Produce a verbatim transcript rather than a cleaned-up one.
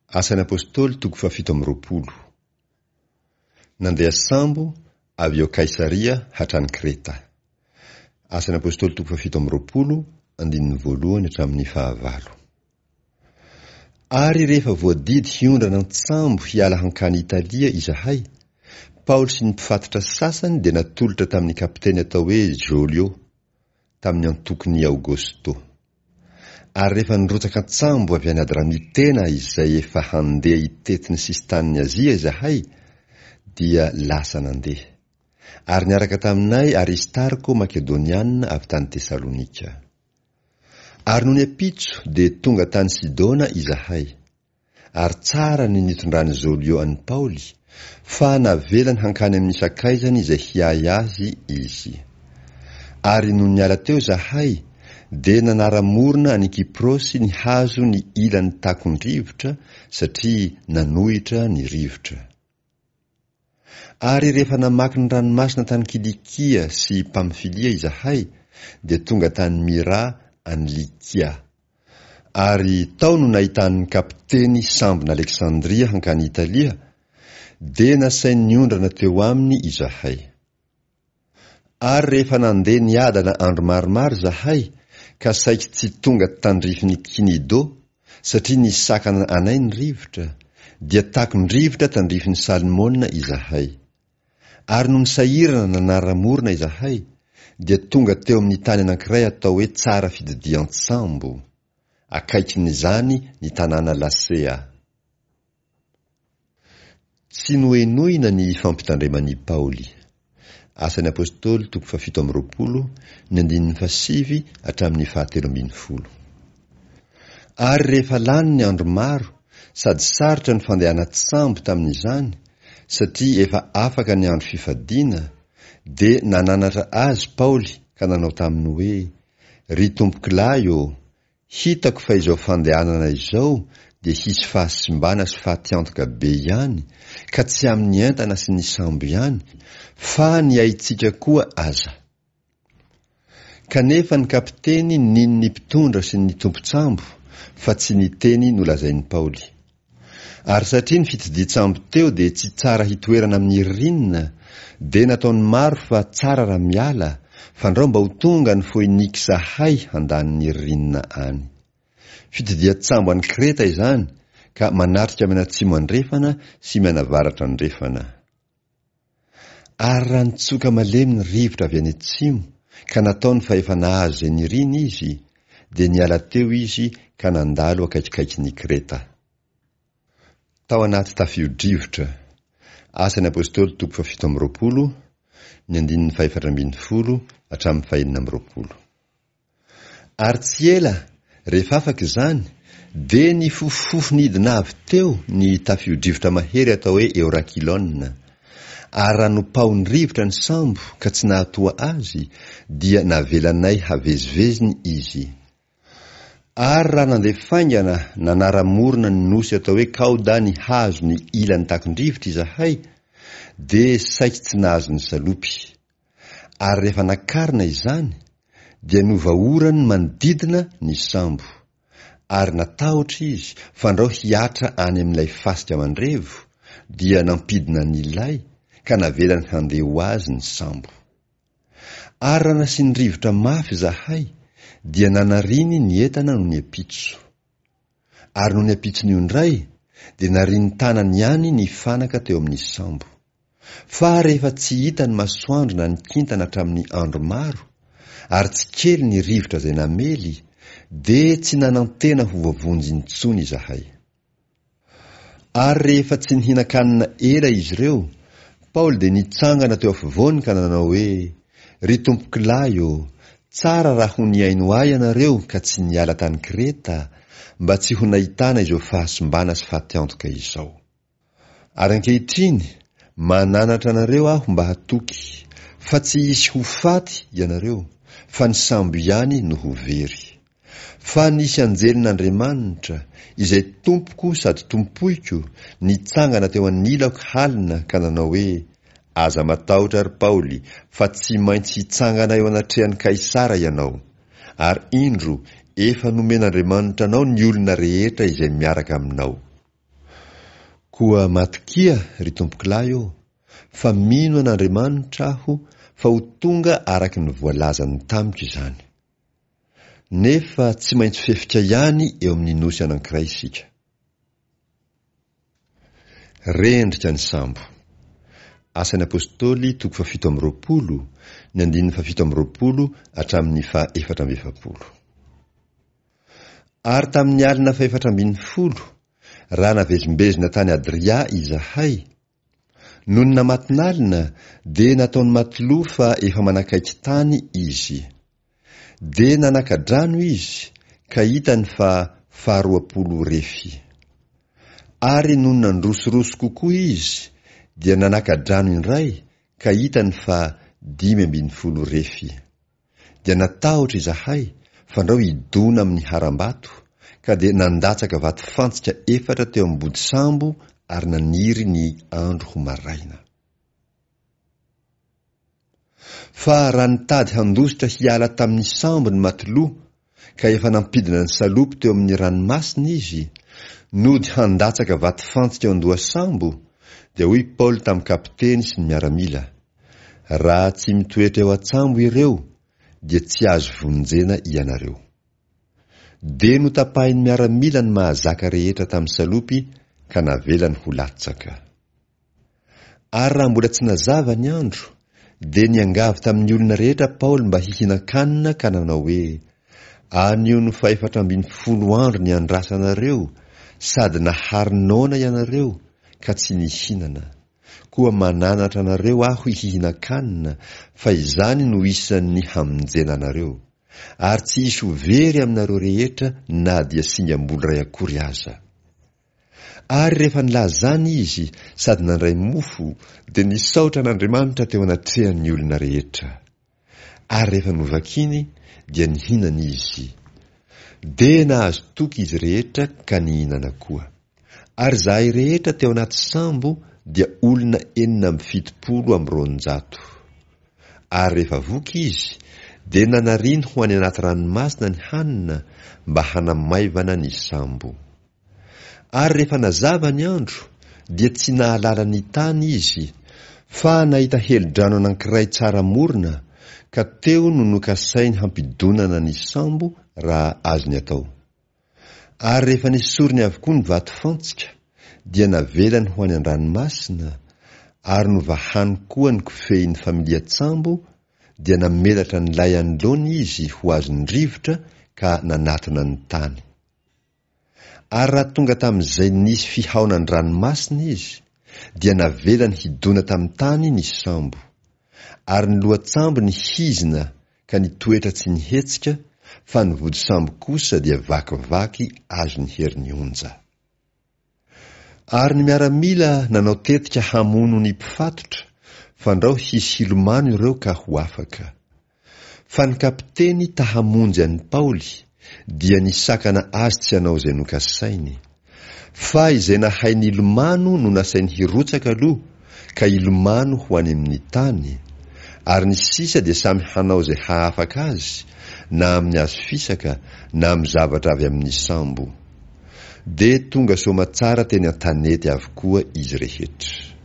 Asan'ny Apostoly toko fahafito amby roapolo. Nandeha sambo avy eo Kaisaria hatrany Kreta. Asan'ny Apostoly toko fahafito amby roapolo, andininy voalohany hatramin'ny fahavalo. Ary rehefa voadidy hiondrana an-tsambo hiala hankany Italia izahay, Paoly sy ny mpifatotra sasany dia natolotra tamin'ny kapiteny atao hoe Jolio, tamin'ny antokon'i Aogosto. Ary rehefa nirotsaka an-tsambo avy any Adramitena izay efa handeha hitety ny sisin-tanin'i Azia izahay, dia lasa nandeha. Ary niaraka taminay Aristarko Makedoniana avy tany Tesalonika. Ary nony ampitso dia tonga tany Sidona izahay. Ary tsara ny nitondran'i Jolio an'i Paoly, fa navelany hankany amin'ny sakaizany izay hiahy azy izy. Ary nony niala teo izahay, dia nanara-morona an'i Kyprosy nihazo ny ilan'ny takon-drivotra, satria nanohitra ny rivotra. Ary rehefa namaky ny ranomasina tany Kilikia sy Pamfilia izahay, dia tonga tany Myra any Lykia. Ary tao no nahitan'ny kapiteny sambon'Aleksandria hankany Italia, dia nasainy niondrana teo aminy izahay. Ary rehefa nandeha niadana andro maromaro izahay, ka saiky tsy tonga tandrifin'i Kinido, satria nisakana anay ny rivotra, dia takon-drivotra tandrifin'i Salmona izahay. Ary nony sahirana nanara-morona izahay, dia tonga teo amin'ny tany anankiray atao hoe Tsara Fitodian-tsambo, akaikin'izany ny tanàna Lasea. Tsy nohenoina ny fampitandreman'i Paoly. Asan'ny Apostoly toko fahafito amby roapolo, ny andininy fahasivy hatramin'ny fahatelo ambin'ny folo. Ary rehefa lany ny andro maro sady sarotra ny fandehanan-tsambo tamin'izany, satria efa afaka ny andro fifadiana, dia nananatra azy Paoly ka nanao taminy hoe, Ry tompokolahy ô, hitako fa izao fandehanana izao dia hisy fahasimbana sy fatiantoka be ihany, ka tsy amin'ny entana sy ny sambo ihany, fa ny aintsika koa aza. Kanefa ny kapiteny nino ny mpitondra sy ny tompon-tsambo, fa tsy ny teny nolazain'i Paoly. Ary satria ny fitodian-tsambo teo dia tsy tsara hitoerana amin'ny ririnina, dia nataony maro fa tsara raha miala, fandrao mba ho tonga any Foiniksa hay handany ny ririnina any. Fitodian-tsambo any Kreta izany, ka manatrika mianatsimo andrefana sy mianavaratra andrefana. Ary raha nitsoka malemy ny rivotra avy any atsimo, ka nataony fa efa nahazo izay niriny izy, dia niala teo izy ka nandalo akaikikaikin'i Kreta. Tao anaty tafio-drivotra. Asan'ny Apostoly toko fahafito amby roapolo, ny andininy fahefatra ambin'ny folo hatramin'ny fahenina amby roapolo. Ary tsy ela, rehefa afaka izany, dia nifofofofo nidina avy teo ny tafio-drivotra mahery atao hoe Eorakilona. Ary raha nopaohin'ny rivotra ny sambo ka tsy nahatoha azy, dia navelanay haveziveziny izy. Ary raha nandeha faingana nanara-morona ny nosy atao hoe Kaoda nihazo ny ilan'ny takon-drivotra izahay, dia saiky tsy nahazo ny salopy. Ary rehefa nakarina izany, dia novahorany manodidina ny sambo. Ary natahotra izy fandrao hihatra any amin'ilay fasika mandrevo, dia nampidina ny lay, ka navelany handeha ho azy ny sambo. Ary raha nasiany rivotra mafy izahay, dia nanariny ny entana nony ampitso. Ary nony ampitson'io indray, dia nariny tanany ihany ny fanaka teo amin'ny sambo. Fa rehefa tsy hita ny masoandro na ny kintana hatramin'ny andro maro, ary tsy kely ny rivotra izay namely, dia tsy nanantena ho voavonjy intsony izahay. Ary rehefa tsy nihinan-kanina ela izy ireo, Paoly dia nitsangana teo afovoany ka nanao hoe, Ry tompokolahy ô, tsara raha ho nihaino ahy ianareo ka tsy niala tany Kreta, mba tsy ho nahitana izao fahasimbana sy fatiantoka izao. Ary ankehitriny, mananatra anareo aho mba hatoky, fa tsy hisy ho faty ianareo, fa ny sambo ihany no ho very. Fa nisy anjelin'Andriamanitra, izay tompoko sady tompoiko, nitsangana teo anilako halina ka nanao hoe, Aza matahotra, ry Paoly, fa tsy maintsy hitsangana eo anatrehan'i Kaisara ianao. Ary indro, efa nomen'Andriamanitra anao ny olona rehetra izay miaraka aminao. Koa matokia, ry tompokolahy ô, fa mino an'Andriamanitra aho fa ho tonga araka ny voalazany tamiko izany. Nefa tsy maintsy fefika ihany eo amin'ny nosy anankiray isika. Rendrika ny sambo. Asan'ny Apostoly toko fahafito amby roapolo, ny andininy fahafito amby roapolo hatramin'ny fahaefatra amby efapolo. Ary tamin'ny alina fahefatra ambin'ny folo, raha navezimbezina tany Adria izahay, nony namatonalina dia nataon'i Matiloa fa efa manakaiky tany izy. Dia nanaka-drano izy ka hitany fa faharoapolo refy. Ary nony nandrosoroso kokoa izy dia nanaka-drano indray ka hitany fa dimy ambin'ny folo refy. Dia natahotra izahay fandrao hidona amin'ny harambato ka dia nandatsaka vatofantsika efatra teo ambody sambo ary naniry ny andro ho maraina. Fa raha nitady handositra hiala tamin'ny sambo ny matiloa ka efa nampidina ny salopy teo amin'ny ranomasina izy, nody handatsaka vatofantsika eo an-dohasambo, dia hoy Paoly tamin'ny kapiteny sy ny miaramila, raha tsy mitoetra eo an-tsambo ireo, dia tsy azo vonjena ianareo. Dia notapahin'ny miaramila ny mahazaka rehetra tamin'ny salopy ka navelany ho latsaka. Ary raha mbola tsy nazava ny andro, dia niangavy tamin'ny olona rehetra Paoly mba hihinan-kanina ka nanao hoe, anio no fahefatra ambin'ny folo andro niandrasanareo sady nahary noana ianareo ka tsy nihinana. Koa mananatra anareo aho hihinan-kanina fa izany no isan'ny hamonjena anareo. Ary tsy hisy ho very aminareo rehetra na dia singam-bolo iray akory aza. Ary rehefa nilaza izany izy sady nandray mofo, dia nisaotra an'Andriamanitra teo anatrehan'ny olona rehetra. Ary rehefa novakiny, dia nihinana izy. Dia nahazo toky izy rehetra ka nihinana koa. Ary izahay rehetra teo anaty sambo dia olona enina amby fitopolo amby roanjato. Ary rehefa voky izy, dia nanariny ho any anaty ranomasina ny hanina mba hanamaivana ny sambo. Ary rehefa nazava ny andro, dia tsy nahalala ny tany izy, fa nahita helodrano anankiray tsara morona, ka teo no nokasainy hampidonana ny sambo raha azony atao. Ary rehefa nesoriny avokoa ny vatofantsika, dia navelany ho any an-dranomasina, ary novahany koa ny kofehin'ny familian-tsambo, dia namelatra ny lay anoloana izy ho azon'ny rivotra ka nanatona ny tany. Ary raha tonga tamin'izay nisy fihaonan-dranomasina izy, dia navelany hidona tamin'ny tany ny sambo. Ary ny lohatsambo nihizina ka nitoetra tsy nihetsika, fa ny vodisambo kosa dia vakivaky azon'ny herin'ny onja. Ary ny miaramila nanao tetika hamono ny mpifatotra, fandrao hisy hilomano ireo ka ho afaka. Fa ny kapiteny ta hamonjy an'i Paoly, dia nisakana azy tsy hanao izay nokasainy. Fa izay nahay nilomano no nasainy hirotsaka aloha, ka hilomano ho any amin'ny tany, ary ny sisa dia samy hanao izay hahafaka azy, na amin'ny hazo fisaka, na amin'ny zavatra avy amin'ny sambo. Dia tonga soamatsara teny an-tanety avokoa izy rehetra.